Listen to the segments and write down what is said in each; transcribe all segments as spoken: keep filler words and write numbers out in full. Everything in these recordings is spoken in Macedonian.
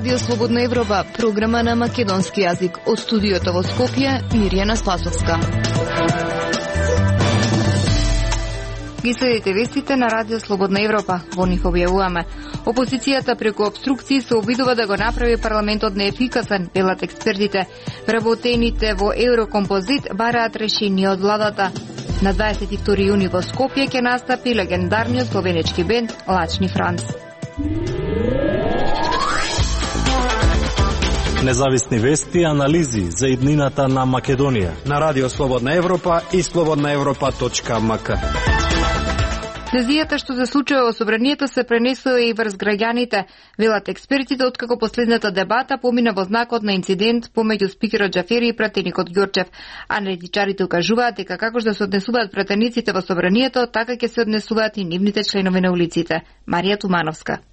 Радио Слободна Европа, програма на македонски јазик. Од студиото во Скопје, Мирјана Спасовска. Ги следите вестите на Радио Слободна Европа. Во них објавуваме: опозицијата преку обструкции се обидува да го направи парламентот неефикасен, велат експертите. Вработените во Еврокомпозит бараат решение од владата. На дваесет и втори јуни во Скопје ќе настапи легендарниот словенечки бенд Лачни Франц. Независни вести и анализи за иднината на Македонија на Радио Слободна Европа и слободна европа точка ем ка. Тензијата што се случува во собранието се пренесува и врз граѓаните, велат експертите, откако последната дебата помина во знакот на инцидент помеѓу спикерот Џафери и пратеникот Ѓорчев. Аналитичарите укажуваат дека како што се однесуваат пратениците во собранието, така ќе се однесуваат и нивните членови на улиците. Марија Тумановска.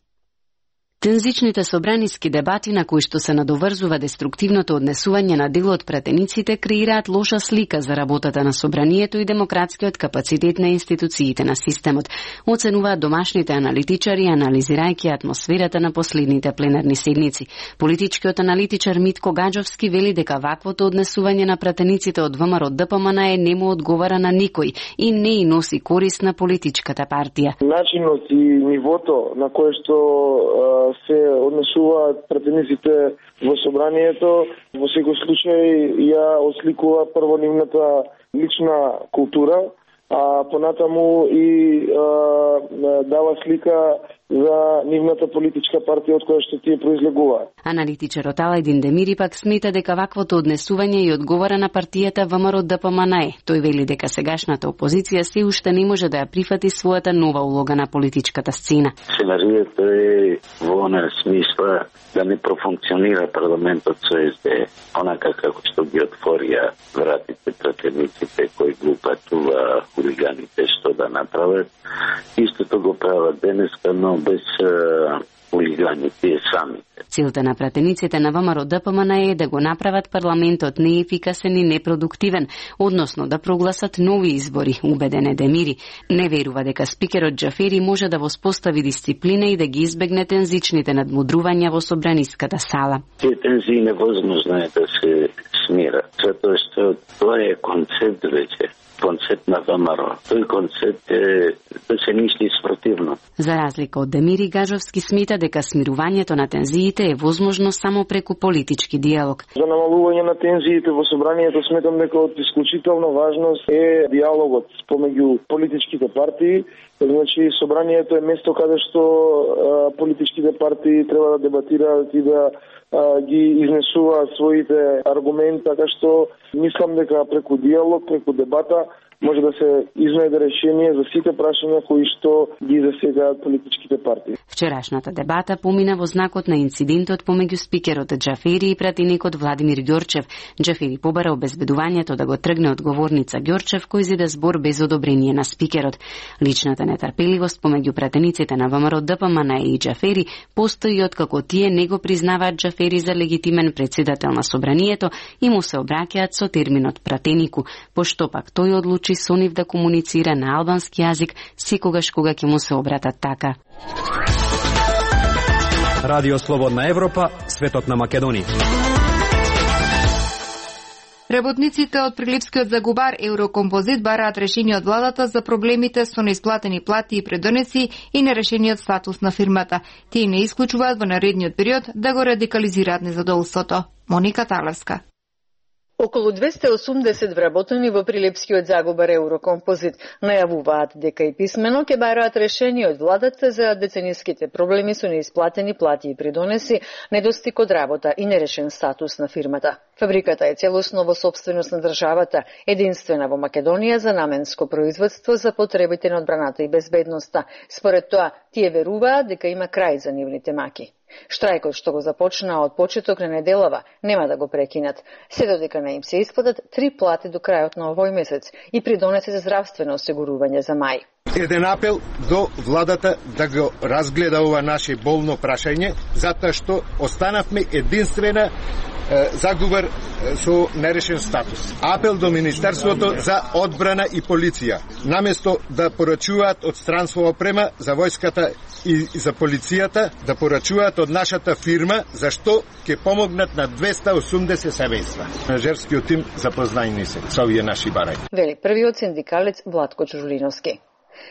Тензичните собраниски дебати на кои што се надоврзува деструктивното однесување на дел од пратениците креираат лоша слика за работата на собранието и демократскиот капацитет на институциите на системот, оценуваат домашните аналитичари анализирајќи атмосферата на последните пленарни седници. Политичкиот аналитичар Митко Гаџовски вели дека ваквото однесување на пратениците од ВМРО Д П М Н е не му одговара на никој и не и носи корист на политичката партија. Начинот и нивото на кое што се однесуваат пратениците во собранието, во секој случај ја осликува прво нивната лична култура, а понатаму и а, дава слика за нивната политичка партија од која што тие произлегуваат. Аналитичарот Алајдин Демири пак смета дека ваквото однесување и одговара на партијата ВМРО Д П М Н е. Тој вели дека сегашната опозиција се уште не може да ја прифати својата нова улога на политичката сцена. Сценарието е во она смисла да не профункционира парламентот со С Д, онака како што ги отворија вратите пратениците кои го упатува хулиганите што да направат. Истото го прават денеска, но без хулигани тие самите. Целта на пратениците на ВМРО Д П М Н е да го направат парламентот неефикасен и непродуктивен, односно да прогласат нови избори, убеден е Демири. Не верува дека спикерот Џафери може да воспостави дисциплина и да ги избегне тензичните надмудрувања во собраниската сала. Тие тензии невозможно е да се смират, затоа што тоа е концепт веќе. Концепт на ВМРО. Тој концепт е да се мисли спротивно. За разлика од Демири, Гаџовски смета дека смирувањето на тензиите е возможно само преку политички диалог. За намалување на тензиите во собранието сметам дека од исклучителна важност е диалогот помеѓу политичките партии. Значи, собранието е место каде што а, политичките партии треба да дебатираат и да а, ги изнесуваат своите аргументи, така што мислам дека преку диалог, преку дебата може да се изнајде решение за сите прашања кои што ги засегаат политичките партии. Вчерашната дебата помина во знакот на инцидентот помеѓу спикерот Џафери и пратеникот Владимир Ѓорчев. Џафери побара обезбедувањето да го тргне од говорница Ѓорчев, кој зида збор без одобрение на спикерот. Личната нетрпеливост помеѓу пратениците на ВМРО Д П М Н и Џафери постои откако тие не го признаваат Џафери за легитимен председател на собранието и му се обраќаат со терминот пратенику, пошто пак тој одлучи со нив да комуницира на албански јазик секогаш кога ќе му се обратат така. Радио Слободна Европа, светот на Македонија. Работниците од Прилепскиот загубар Еврокомпозит бараат решение од владата за проблемите со неисплатени плати и предонеси и нерешениот статус на фирмата. Тие не исклучуваат во наредниот период да го радикализираат незадоволството. Моника Талевска. Околу двесте и осумдесет вработени во Прилепскиот загубар Еврокомпозит најавуваат дека и писмено ќе бараат решение од владата за децениските проблеми со неисплатени плати и придонеси, недостиг од работа и нерешен статус на фирмата. Фабриката е целосно во сопственост на државата, единствена во Македонија за наменско производство за потребите на одбраната и безбедноста. Според тоа, тие веруваат дека има крај за нивните маки. Штрајкот што го започнаа од почеток на неделава нема да го прекинат, се додека не им се исплатат три плати до крајот на овој месец и придонесе за здравствено осигурување за мај. Еден апел до владата да го разгледа ова наше болно прашање, затоа што останавме единствена Загубар со нерешен статус. Апел до Министерството за одбрана и полиција, наместо да порачуваат од странство опрема за војската и за полицијата, да порачуваат од нашата фирма, зашто ќе помогнат на двеста и осумдесет семејства. Менаџерскиот тим запознаени се со овие наши барања. Вели првиот синдикалец Владко Чужулиновски.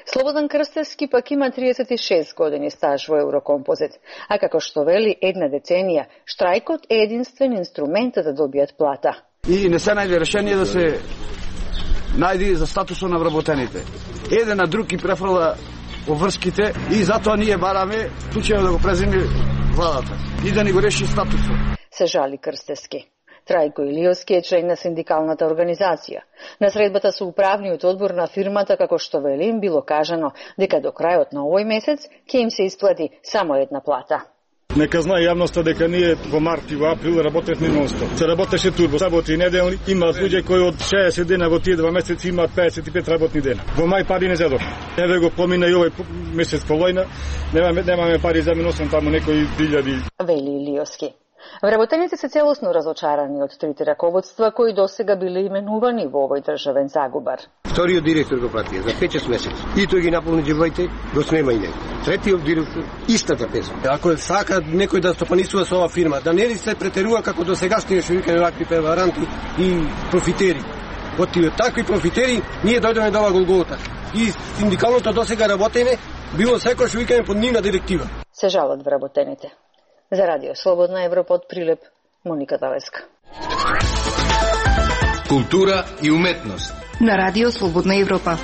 Слободан Крстевски пак има триесет и шест години стаж во Еврокомпозит, а како што вели една деценија, штрајкот е единствен инструмент да добијат плата. И не се најде решение да се најде за статусот на вработените. Еден на друг и префрла обврските и затоа ние бараме случајно да го преземе владата и да ни го реши статусот. Се жали Крстевски. Трајко Илиовски е член на синдикалната организација. На средбата со управниот одбор на фирмата, како што вели, им било кажано дека до крајот на овој месец ќе им се исплати само една плата. Нека знае јавноста дека ние во март и во април работевме нон-стоп. Се работеше турбо, саботи и неделни, имаат луѓе кои од шеесет дена во тие два месеци имаат пеесет и пет работни дена. Во мај пари не зедов. Еве го помина и овој месец по војна, немаме немаме пари за миносен таму некои илјади. Вели Илиовски. Вработените се целосно разочарани од трите раководства кои досега биле именувани во овој државен загубар. Вториот директор го пратија за пет месеци. И тој ги наполни џебоите, го снема и него. Третиот директор истата песма. Ако сака некој да стопанисува со оваа фирма, да не ли се претерува како досегашни што викаме вакви преваранти и профитери. Од тие такви профитери ние дојдеме до оваа голгота. И синдикалното досега работење било секој што викаме под нивна директива. Се жалат вработените. За Радио Слободна Европа од Прилеп, Моника Тавеска. Култура и уметност. На Радио Слободна Европа.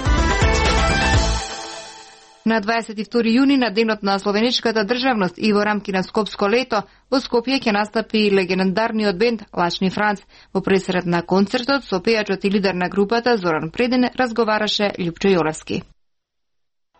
На дваесет и втори јуни, на денот на словеничката државност и во рамки на Скопско лето, во Скопје ќе настапи легендарниот бенд Лачни Франц. Во пресред на концертот со пејачот и лидер на групата Зоран Предин разговараше Љупчо Јолевски.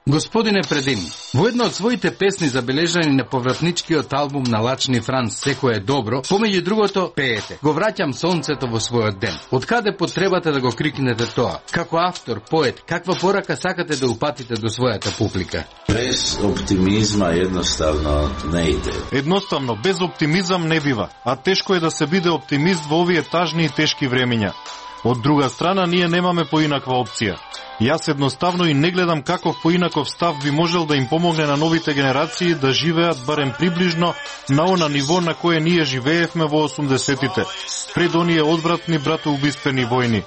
Господине Предин, во една од своите песни забележани на повратничкиот албум на Лачни Франц "Секој е добро", помеѓу другото пеете: "Го враќам сонцето во својот ден". Од каде потребате да го крикнете тоа? Како автор, поет, каква порака сакате да упатите до својата публика? Без оптимизма едноставно не иде. Едноставно, без оптимизам не бива, а тешко е да се биде оптимист во овие тажни и тешки времиња. Од друга страна, ние немаме поинаква опција. Јас едноставно и не гледам каков поинаков став би можел да им помогне на новите генерации да живеат барем приближно на она ниво на кое ние живеевме во осумдесетите, пред оние одвратни братоубиствени војни.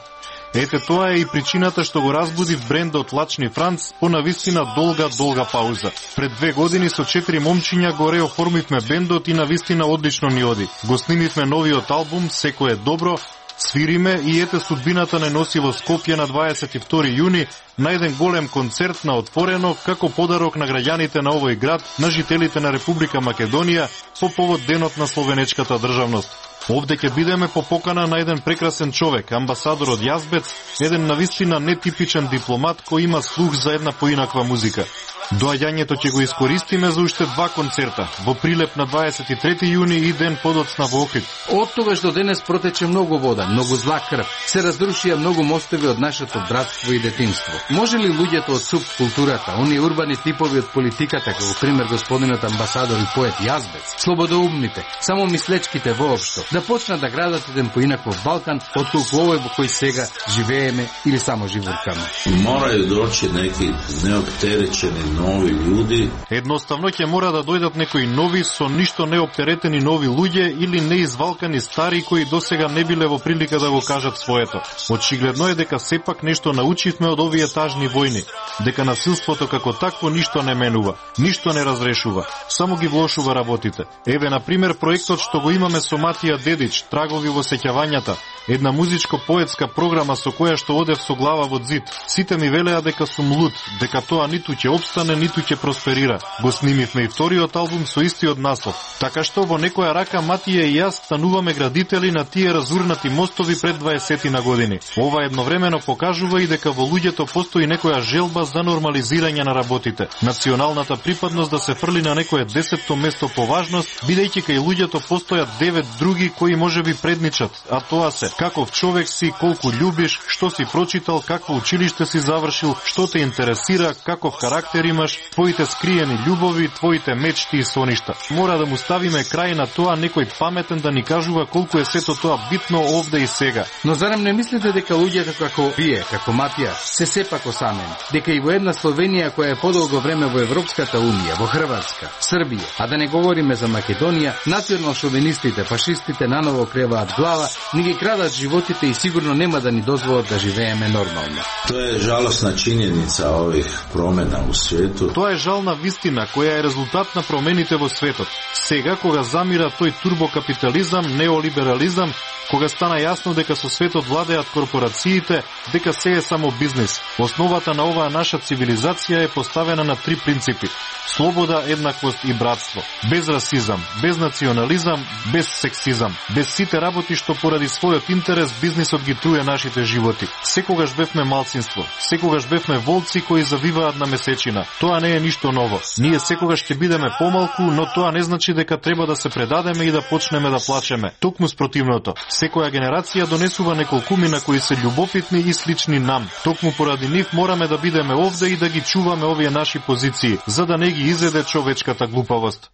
Ете тоа е и причината што го разбуди брендот Лачни Франц по навистина долга, долга пауза. Пред две години со четири момчиња го реоформивме бендот и навистина одлично ни оди. Го снимивме новиот албум "Секој е добро", свириме и ете судбината не носи во Скопје на дваесет и втори јуни на еден голем концерт на отворено како подарок на граѓаните на овој град, на жителите на Република Македонија по повод денот на словенечката државност. Овде ќе бидеме по покана на еден прекрасен човек, амбасадор од Јазбец, еден навистина нетипичен дипломат кој има слух за една поинаква музика. Доаѓањето ќе го искористиме за уште два концерта, во Прилеп на дваесет и трети јуни и ден подоцна во Охрид. Од тогаш до денес протече многу вода, многу зла крв. Се разрушија многу мостови од нашето братство и детинство. Може ли луѓето од субкултурата, оние урбани типови од политиката, како пример господинот амбасадор и поет Јазбец, слободоумните, само мислечките воопшто, да почнат да градат еден поинаков Балкан, отколку овој во кој сега живееме или само живуркаме? Морају дојти неки неоптеречени нови луѓе. Едноставно ќе мора да дојдат некои нови, со ништо неоптеретени нови луѓе или неизвалкани стари кои досега не биле во прилика да го кажат своето. Очигледно е дека сепак нешто научивме од овие тажни војни, дека насилството како такво ништо не менува, ништо не разрешува, само ги влошува работите. Еве на пример проектот што го имаме со Матија Дедич, Трагови во сеќавањата, една музичко-поетска програма со која што одев со глава во зид. Сите ми велеа дека сум луд, дека тоа ниту ќе обстане, ниту ќе просперира. Го снимивме и вториот албум со истиот наслов. Така што во некоја рака Матија и јас стануваме градители на тие разурнати мостови пред дваесет на години. Ова едновремено покажува и дека во луѓето постои некоја желба за нормализирање на работите. Националната припадност да се фрли на некое десетто место по важност, бидејќи кај луѓето постојат девет други одговори кои можеби предничат, а тоа се каков човек си, колку љубиш, што си прочитал, какво училиште си завршил, што те интересира, каков карактер имаш, твоите скриени љубови, твоите мечти и соништа. Мора да му ставиме крај на тоа некој паметен да ни кажува колку е сето тоа битно овде и сега. Но зарем не мислите дека луѓето како вие, како Матија, се сепак осамени? Дека и во една Словенија која е подолго време во Европската унија, во Хрватска, Србија, а да не говориме за Македонија, национал шовинистите, фашистите наново креваат глава, ни ги крадат животите и сигурно нема да ни дозволат да живееме нормално. Тоа е жалосна чинjenica ових промена у свету. Тоа е жална вистина која е резултат на промените во светот. Сега кога замира тој турбокапитализам, неолиберализам, кога стана јасно дека со светот владеат корпорациите, дека се е само бизнис. Основата на оваа наша цивилизација е поставена на три принципи: слобода, еднаквост и братство. Без расизам, без национализам, без сексизам. Без сите работи што поради својот интерес бизнисот ги труе нашите животи. Секогаш бевме малцинство, секогаш бевме волци кои завиваат на месечина. Тоа не е ништо ново. Ние секогаш ќе бидеме помалку, но тоа не значи дека треба да се предадеме и да почнеме да плачеме. Токму спротивното. Секоја генерација донесува неколкумина кои се љубопитни и слични нам. Токму поради нив мораме да бидеме овде и да ги чуваме овие наши позиции, за да не ги изеде човечката глупавост.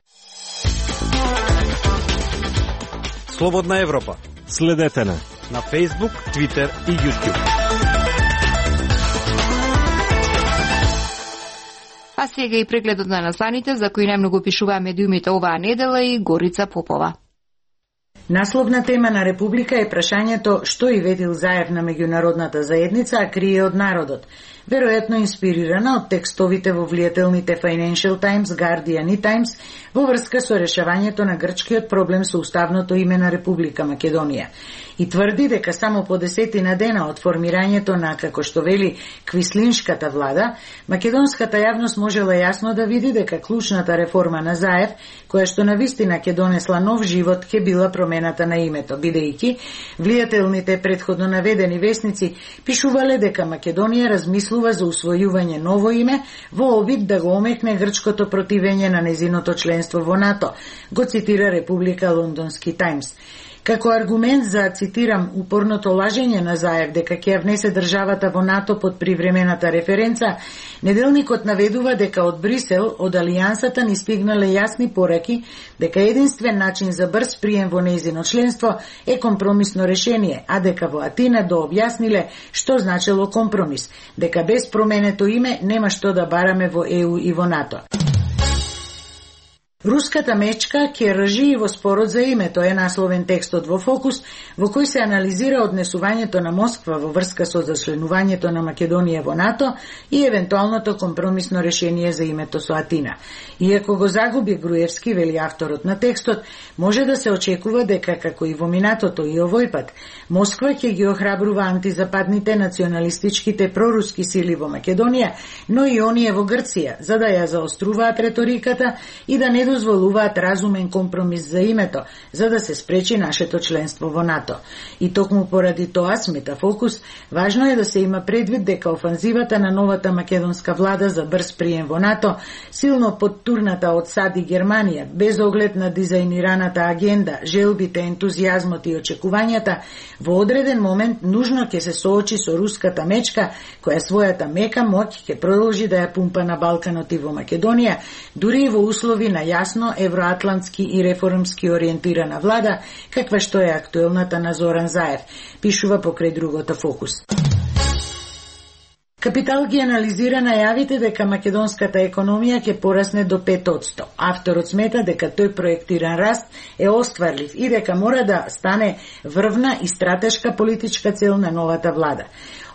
Слободна Европа. Следете на на Facebook, Twitter и YouTube. А сега и прегледот на насланите за кои најмногу пишуваа медиумите оваа недела и Горица Попова. Насловна тема на Република е прашањето што и ветил Заев на меѓународната заедница, а крие од народот. Веројатно инспирирана од текстовите во влијателните Financial Times, Guardian и Times во врска со решавањето на грчкиот проблем со уставното име на Република Македонија. И тврди дека само по десетина дена од формирањето на, како што вели, квислиншката влада, македонската јавност можела јасно да види дека клучната реформа на Заев, која што навистина ќе донесла нов живот, ќе била промената на името, бидејќи влијателните претходно наведени весници пишувале дека Македонија размислува за усвојување ново име во обид да го омекне грчкото противење на незиното членство во НАТО, го цитира Република Лондонски Таймс. Како аргумент за, цитирам, упорното лажење на Заев дека ќе ја внесе државата во НАТО под привремената референца, неделникот наведува дека од Брисел, од Алијансата ни стигнале јасни пораки дека единствен начин за брз прием во нејзино членство е компромисно решение, а дека во Атина дообјасниле што значело компромис, дека без променето име нема што да бараме во Е У и во НАТО. Руската мечка ќе ржи во спорот за името е насловен текстот во Фокус, во кој се анализира однесувањето на Москва во врска со зачленувањето на Македонија во НАТО и евентуалното компромисно решение за името со Атина. Иако го загуби Груевски, вели авторот на текстот, може да се очекува дека, како и во минатото и овој пат, Москва ќе ги охрабрува антизападните националистичките проруски сили во Македонија, но и оние во Грција, за да ја заоструваат реториката и да не дозволуваат разумен компромис за името, за да се спречи нашето членство во НАТО. И токму поради тоа, смета Фокус, важно е да се има предвид дека офанзивата на новата македонска влада за брз прием во НАТО, силно подтурната од САД и Германија, без оглед на дизајнираната агенда, желбите, ентузијазмот и очекувањата, во одреден момент нужно ќе се соочи со руската мечка, која својата мека моќ ќе продолжи да ја пумпа на Балканот и во Македонија, дури и во услови на јасно евроатлантски и реформски ориентирана влада, каква што е актуелната на Зоран Заев, пишува покрај другото Фокус. Капитал ги анализира најавите дека македонската економија ќе порасне до пет одсто. Авторот смета дека тој проектиран раст е остварлив и дека мора да стане врвна и стратешка политичка цел на новата влада.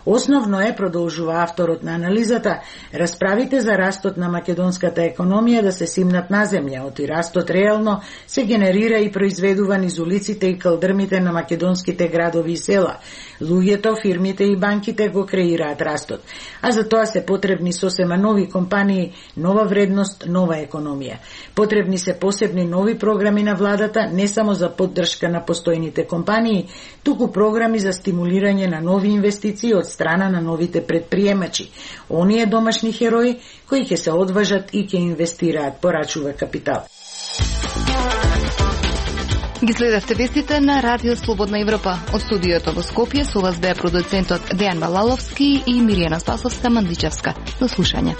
Основно е, продолжува авторот на анализата, расправите за растот на македонската економија да се симнат на земја, оти растот реално се генерира и произведува низ улиците и калдрмите на македонските градови и села. Луѓето, фирмите и банките го креираат растот, а за тоа се потребни сосема нови компании, нова вредност, нова економија. Потребни се посебни нови програми на владата, не само за поддршка на постојните компании, туку програми за стимулирање на нови инвестиции од страна на новите предприемачи, оние домашни херои кои ќе се одважат и ќе инвестираат, порачува Капитал. Ги следевте вестите на Радио Слободна Европа. Од студиото во Скопје со вас беа продуцентот Дејан Балаловски и Миријана Спасовска Мандличевска. До слушање.